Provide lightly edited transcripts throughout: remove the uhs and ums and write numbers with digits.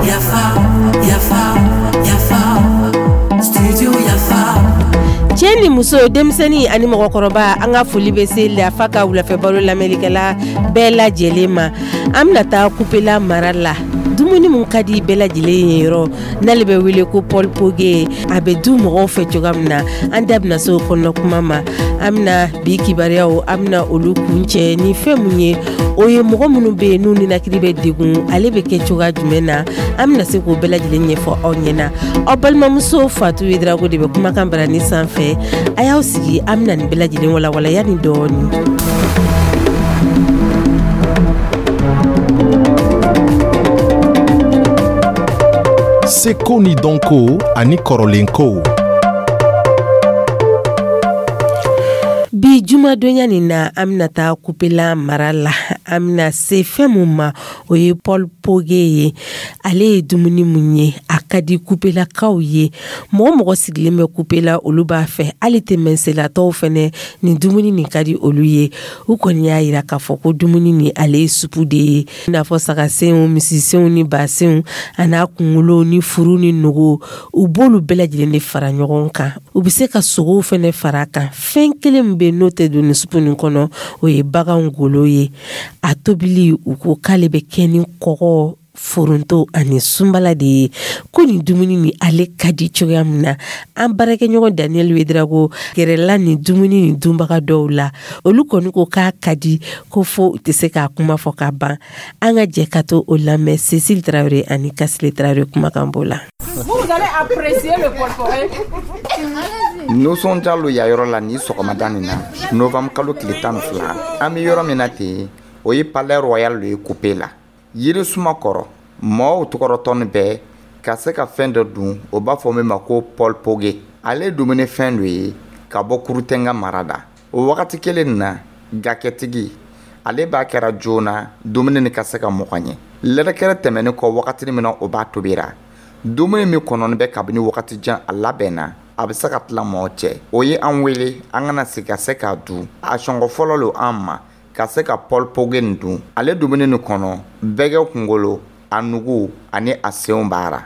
Yafa, yafa, yafa, studio Yafa. Cɛ ni muso, denmisɛnnin ani mɔgɔkɔrɔba, an ka foli bɛ se Yafa ka wulafɛ baro lamɛnlikɛla bɛɛ lajɛlen ma. An bɛna taa Kupela mara la. Dumuni min ka di bɛɛ lajɛlen ye yɔrɔ n'ale bɛ wele ko pɔlipoge, a bɛ du mɔgɔw fɛ cogoya min na, an da bɛna se o kɔnɔ kuma ma. An bɛna bi kibaruyaw, an bɛna olu kuncɛ ni fɛn mun ye, o ye mɔgɔ minnu bɛ yen n'u ninakili bɛ degun, ale bɛ kɛ cogoya jumɛn na, an bɛna se k'o bɛɛ lajɛlen ɲɛfɔ aw ɲɛna. Aw balimamuso Fatu Yedrago de bɛ kumakan barani sanfɛ. A y'aw sigi, an bɛna nin bɛɛ lajɛlen walawala yanni dɔɔni. Seko ni dɔnko ani kɔrɔlenkow. Bi jumadonya nin na, an bɛna taa Kupela mara la. An bɛna se fɛn mun ma, o ye pɔlipoge ye. Ale ye dumuni mun ye, a ka di Kupelakaw ye. Mɔgɔ mɔgɔ sigilen bɛ Kupela, olu b'a fɛ. Hali tɛmɛnselatɔw fɛnɛ, nin dumuni nin ka di olu ye. U kɔni y'a yira k'a fɔ ko dumuni nin, ale ye supu de ye, i n'a fɔ sagasenw, misisenw ni basenw, a n'a kunkolow ni furu ni nogo. U b'olu bɛɛ lajɛlen de fara ɲɔgɔn kan. U bɛ se ka sogow fɛnɛ fara a kan. Fɛn kelen min bɛ yen n'o tɛ don nin supu nin kɔnɔ, o ye bagan golo ye. A tobili, u ko k'ale bɛ kɛ ni kɔgɔ, foronto ani sunbala de ye. Ko nin dumuni nin, ale ka di cogoya min na, an baarakɛɲɔgɔn Daniel Wedrago gɛrɛla nin dumuni nin dunbaga dɔw la. Olu kɔni ko k'a ka di ko fo u tɛ se k'a kuma fɔ ka ban. An ka jɛ ka to o lamɛn Cécile Traoré ani Kasile Traoré kumakan b'o la. Vous allez apprécier le portefeuille. Nisɔndiya lo ya yɔrɔ la ni sɔgɔmada nin na, novembre kalo tile 12. An bɛ yɔrɔ min na ten, o ye Palais Royal lo ye Kupe la. Yiri suma kɔrɔ, mɔgɔw tɔgɔrɔtɔni bɛɛ ka se ka fɛn dɔ dun, o b'a fɔ min ma ko pɔlpoge. Ale ye dumunifɛn dɔ ye ka bɔ Kurutɛnga mara da. O wagati kelen nin na, gakɛtigi ale b'a kɛra joona dumuni nin ka se ka mɔgɔ ɲɛ. Lɛrɛkɛrɛ tɛmɛnen kɔ, wagati min na o b'a tobira, dumuni min kɔnɔni bɛ kabini wagati jan a labɛnna, a bɛ se ka tila mɔgɔ cɛ. O ye an wele an kana sigi ka se k'a dun. A sɔngɔ fɔlɔ lo an ma ka se ka pɔlpoge nin dun. Ale dumuni nin kɔnɔ, bɛgɛ kunkolo, a nugu ani a senw b'a ra.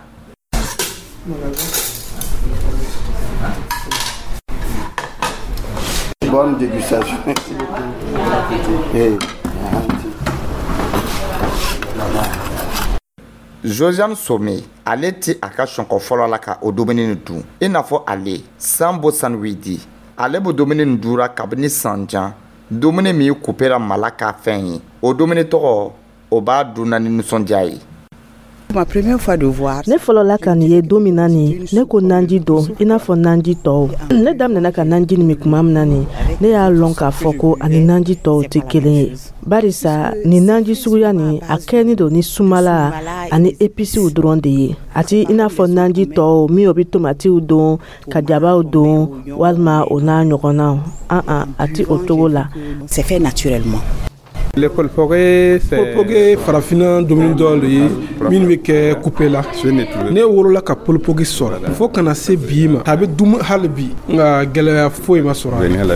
Bonne dégustation. Hey. Josiane Some, ale ti a ka sɔnkɔ fɔlɔ la ka o dumuni nin dun. I n'a fɔ ale Sambo Sanwidi, ale bɛ dumuni nin dura kabini san jan. Dumuni min kupera mala ka fɛn ye, o dumuni tɔgɔ, o b'a dunna ni nisɔndiya ye. Ma première fois de voir. Ne fɔlɔla ka nin ye don min na nin, ne ko nanji don i n'a fɔ nanji tɔw. Ne daminɛna ka nanji nin min tuma min na nin, ne y'a lɔn k'a fɔ ko ani nanji tɔw tɛ kelen ye, barisa nin nanji suguya nin, a kɛni don ni sumala ani episiw dɔrɔn de ye. A ti i n'a fɔ nanji tɔw min, o bɛ tomatiw don, ka jabaw don, walima o n'a ɲɔgɔnnaw. An an, a ti o cogo la. C'est fait naturellement. Le polpoge, c'est Polpoge, farafinna dumuni dɔ de ye minnu bɛ kɛ Kupe la. Ne wolola ka polpoge sɔrɔ fo kana se bi ma, a bɛ dun hali bi, nka gɛlɛya foyi ma sɔrɔ a la.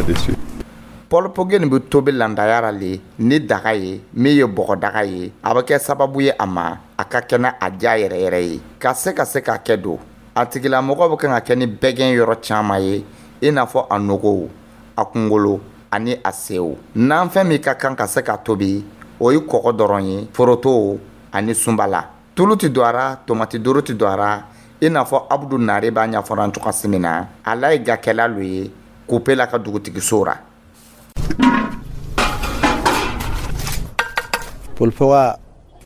Pɔlpoge nin bɛ tobi landaya la le ni daga ye min ye bɔgɔdaga ye. A bɛ kɛ sababu ye a ma a ka kɛnɛ, a diya yɛrɛ yɛrɛ ye ka se ka se k'a kɛ don. A tigilamɔgɔ bɛ kan ka kɛ ni bɛgɛn yɔrɔ caman ye, i n'a fɔ a nogow, a kunkolo ani a sew. Nanfɛn min ka kan ka se ka tobi, o ye kɔgɔ dɔrɔn ye, foroto ani sunbala. Tulu tɛ don a ra, tomati doro tɛ don a ra. I n'a fɔ Abudu Nare b'a ɲɛfɔra an cogoya min na, ala ye gakɛla lo ye Kupela ka dugutigiso ra. Polpoga.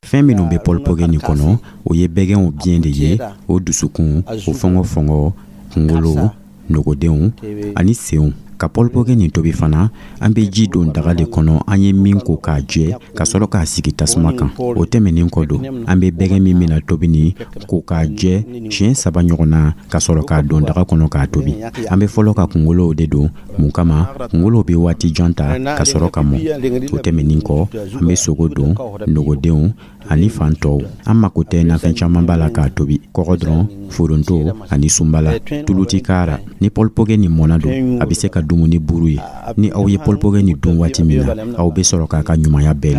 Fɛn minnu bɛ pɔlipɔgɛ nin kɔnɔ, o ye bɛgɛnw biɲɛ de ye, o dusukun, o fɔngɔfɔngɔ, kunkolo, nogodenw ani senw. Ka pɔlipɔgɛ nin tobi fana, an bɛ ji don daga de kɔnɔ an ye min ko k'a jɛ, ka sɔrɔ k'a sigi tasuma kan. O tɛmɛnen kɔ don, an bɛ bɛgɛn min bɛna tobi nin ko k'a jɛ siɲɛ saba ɲɔgɔn na, ka sɔrɔ k'a don daga kɔnɔ k'a tobi. An bɛ fɔlɔ ka kunkolow de don. Mun kama? Kunkolow bɛ waati jan ta ka sɔrɔ ka mɔ. O tɛmɛnen kɔ, an bɛ sogo don, nogodenw ani fan tɔw. An mako tɛ nafɛn camanba la k'a tobi, kɔgɔ dɔrɔn, foronto ani sunbala, tulu ti k'a ra. Ni pɔlipɔgɛ nin mɔna don, a bɛ se ka dumu ni buru ye. Ni aw ye pɔlipɔgɛ nin dun waati min na, aw bɛ sɔrɔ k'a ka ɲumanya bɛɛ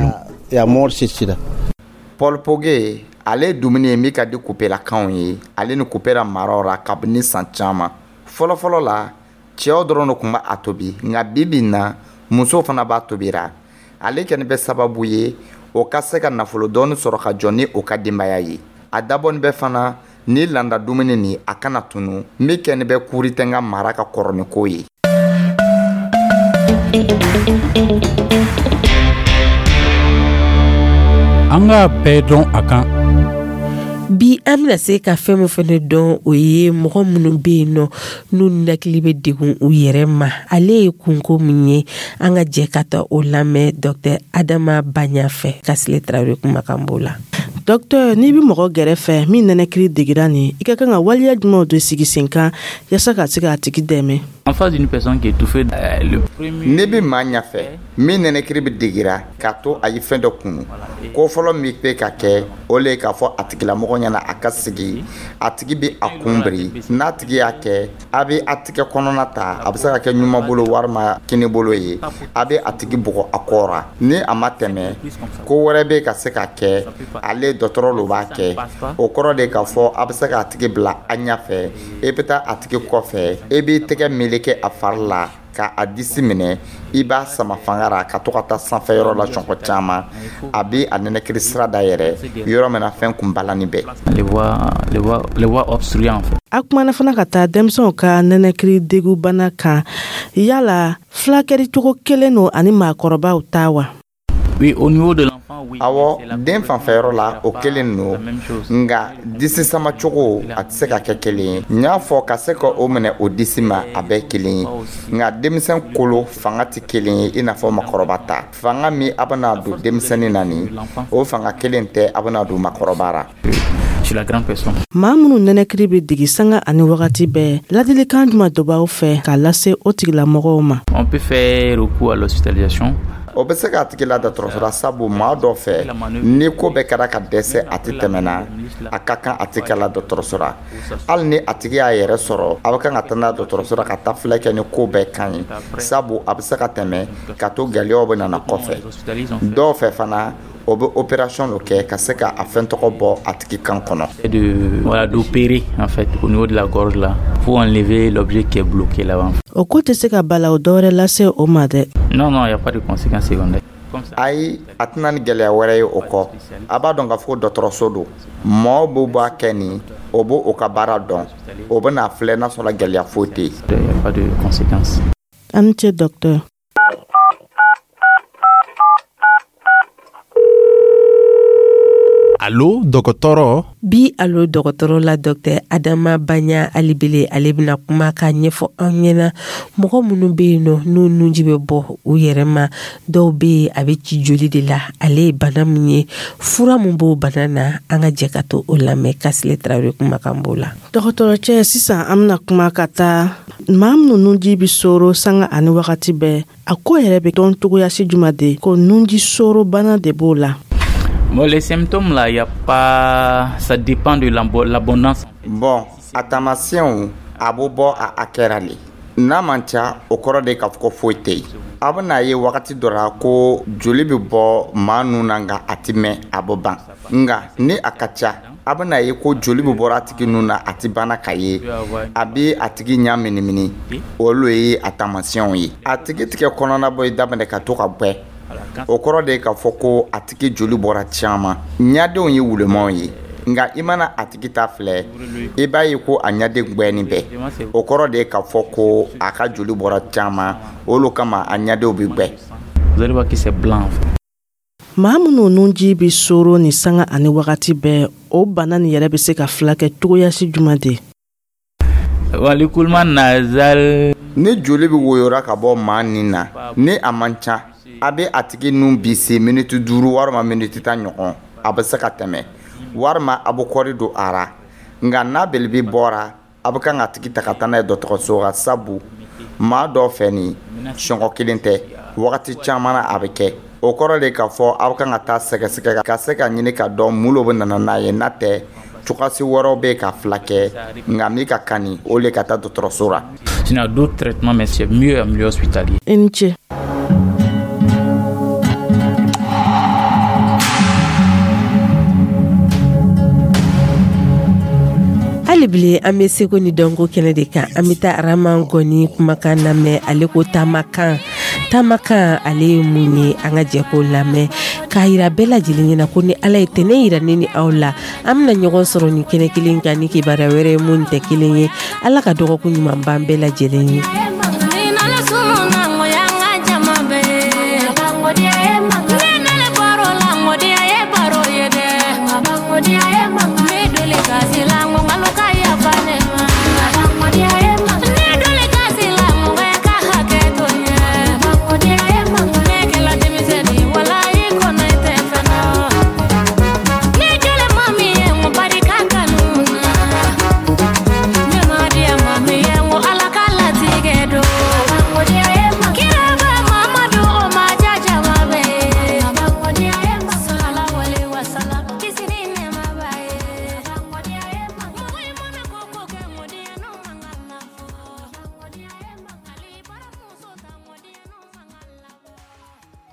lɔn. Pɔlipɔgɛ, ale ye dumuni ye min ka di Kupelakaw ye, ale ni Kupela maraw ra kabini san caman. Fɔlɔfɔlɔ la, cɛw dɔrɔn de tun b'a tobi, nka bi bi in na, musow fana b'a tobira. Ale kɛnin bɛ sababu ye o ka se ka nafolo dɔɔni sɔrɔ ka jɔ ni o ka denbaya ye. A dabɔnin bɛ fana ni landa dumuni nin a kana tunu, min kɛnin bɛ Kuritɛnga mara ka kɔrɔnin ko ye. An k'a bɛɛ dɔn a kan. Bi, an bɛna se ka fɛn min fana dɔn, o ye mɔgɔ minnu bɛ yen nɔ, n'u ninakili bɛ degun u yɛrɛ ma, ale ye kunko min ye. An ka jɛ ka taa o lamɛn Dr Adama Baɲa fɛ. Kasile Tarawele kumakan b'o la. Docteur, n'i bɛ mɔgɔ gɛrɛfɛ min nɛnɛkiri degira nin, i ka kan ka waleya jumɛnw de sigi sen kan yaasa ka se k'a tigi dɛmɛ? En face d'une personne qui est étouffée, le premier. N'i bɛ maa ɲɛfɛ min nɛnɛkiri bɛ degira k'a to a ye fɛn dɔ kunu, ko fɔlɔ min bɛ ka kɛ, o le ye k'a fɔ a tigilamɔgɔ ɲɛna a ka sigi. A tigi bɛ a kun biri. N'a tigi y'a kɛ, a bɛ a tigɛ kɔnɔna ta, a bɛ se ka kɛ ɲuman bolo walima kini bolo ye, a bɛ a tigi bugɔ a kɔ ra. Ni a ma tɛmɛ, ko wɛrɛ bɛ ka se ka kɛ, ale dɔgɔtɔrɔ lo b'a kɛ. O kɔrɔ de k'a fɔ a bɛ se k'a tigi bila a ɲɛfɛ, i bɛ taa a tigi kɔfɛ, i b'i tɛgɛ meleke a fari la ka a disi minɛ, i b'a sama fanga ra ka to ka taa sanfɛ yɔrɔ la sɔngɔ caman. A bɛ a nɛnɛkiri sira dayɛlɛ yɔrɔ min na fɛn kun balani bɛɛ. Les voies obstruées, en fait. A kumana fana ka taa denmisɛnw ka nɛnɛkiri degubana kan. Yala fulakɛli cogo kelen don ani maakɔrɔbaw ta wa? Oui, au niveau de l'enfant, oui. Awɔ, den fanfɛyɔrɔ la, o kelen don, nka disi samacogo, a tɛ se ka kɛ kelen ye. N y'a fɔ ka se ka o minɛ o disi ma, a bɛɛ kelen ye, nka denmisɛn kolo fanga tɛ kelen ye i n'a fɔ makɔrɔba ta. Fanga min a bɛna don denmisɛnnin na nin, o fanga kelen tɛ a bɛna don makɔrɔba ra. Sur la grande personne. Maa minnu nɛnɛkiri bɛ degi sanga ani wagati bɛɛ, ladilikan jumɛn dɔ b'aw fɛ k'a lase o tigilamɔgɔw ma? On peut faire recours à l'hospitalisation. O bɛ se k'a tigi la dɔgɔtɔrɔso la, sabu maa dɔ fɛ, ni ko bɛɛ kɛra ka dɛsɛ, a tɛ tɛmɛna, a ka kan a tigi ka la dɔgɔtɔrɔso la. Hali ni a tigi y'a yɛrɛ sɔrɔ, a bɛ kan ka taa n'a dɔgɔtɔrɔso la ka taa filɛ kɛ ni ko bɛɛ ka ɲi, sabu a bɛ se ka tɛmɛ ka to gɛlɛyaw bɛ nana kɔfɛ. Dɔw fɛ fana, o bɛ opération dɔ kɛ ka se ka a fɛn tɔgɔ bɔ a tigi kan kɔnɔ. De, voilà, d'opérer en fait au niveau de la gorge là pour enlever l'objet qui est bloqué là-bas. O ko tɛ se ka balawu dɔwɛrɛ lase o ma dɛ? Non, il n'y a pas de conséquences secondaires. Comme ça. Ayi, a tɛna ni gɛlɛya wɛrɛ ye o kɔ. A b'a dɔn k'a fɔ ko dɔgɔtɔrɔso don, mɔɔ b'o b'a kɛ nin, o b'o o ka baara dɔn, o bɛna filɛ n'a sɔrɔ gɛlɛya foyi tɛ yen. Il n'y a pas de conséquences. A ni ce, docteur. Alo dɔgɔtɔrɔ. Bi Alo dɔgɔtɔrɔ la, Dr Adama Baɲa Alibele, ale bɛna kuma ka ɲɛfɔ an ɲɛna mɔgɔ minnu bɛ yen nɔ, n'u nunji bɛ bɔ u yɛrɛ ma. Dɔw bɛ yen, a bɛ ci joli de la. Ale ye bana min ye, fura min b'o bana na, an ka jɛ ka to o lamɛn. Kasile Tarawele kumakan b'o la. Dɔgɔtɔrɔ cɛ, sisan an bɛna kuma ka taa maa minnu nunji bɛ soro sanga ani wagati bɛɛ. A ko yɛrɛ bɛ dɔn cogoya si juma de ko nunji soro bana de b'o la? Bon, les symptômes là, il y a pas, ça dépend de l'abondance. Bon, a taamasiyɛnw, a bɛ bɔ a hakɛ ra le. N'a man ca, o kɔrɔ de k'a fɔ ko foyi tɛ yen. A bɛna ye wagati dɔ la ko joli bɛ bɔ maa nun na, nka a tɛ mɛn, a bɛ ban. Nka ni a ka ca, a bɛna ye ko joli bɛ bɔra a tigi nun na, a tɛ banna ka ye, a bɛ a tigi ɲɛ minimini. Olu ye a taamasiyɛnw ye. A tigi tigɛ kɔnɔna bɔ daminɛ ka to ka gwɛ, o kɔrɔ de ye k'a fɔ ko a tigi joli bɔra caman. Ɲadenw ye wulumanw ye, nka i mana a tigi ta filɛ, i b'a ye ko a ɲaden gwɛni bɛɛ. O kɔrɔ de ye k'a fɔ ko a ka joli bɔra caman, olu kama a ɲadenw bɛ gwɛ. Vous allez voir que c'est blanc, en fait. Maa minnu nunji bɛ soro ni sanga ani wagati bɛɛ, o bana nin yɛrɛ bɛ se ka filakɛ cogoyasi jumɛn de? Bon, l'écoulement nasal. Ni joli bɛ woyora ka bɔ maa nin na, ni a man ca, a bɛ a tigi nun bisi miniti 5 walima miniti 10 ɲɔgɔn, a bɛ se ka tɛmɛ, walima a bɛ kɔri don a ra. Nka n'a belebe bɔra, a bɛ kan ka tigi ta ka taa n'a ye dɔgɔtɔrɔso la, sabu maa dɔw fɛ nin, sɔngɔ kelen tɛ, wagati caman na a bɛ kɛ. O kɔrɔ de k'a fɔ aw kan ka taa sɛgɛsɛgɛ ka se ka ɲini ka dɔn mun lo bɛ nana n'a ye. N'a tɛ, cogoyasi wɛrɛw bɛ ka fila kɛ, nka min ka kan ni o le ka taa dɔgɔtɔrɔso ra. Sinon, d'autres traitements, mais c'est mieux en milieu hospitalier. I ni ce. Hali bile, an bɛ seko ni dɔnko kɛnɛ de kan. An bɛ taa Araman Gɔni kumakan lamɛn. Ale ko taamakan. Taamakan, ale ye mun ye? An ka jɛ k'o lamɛn k'a yira bɛɛ lajɛlen ɲɛna ko ni Ala ye tɛnɛ yira ne ni aw la, an bɛna ɲɔgɔn sɔrɔ nin kɛnɛ kelen kan ni kibaruya wɛrɛ ye mun tɛ kelen ye. Ala ka dɔgɔkun ɲuman ban bɛɛ lajɛlen ye.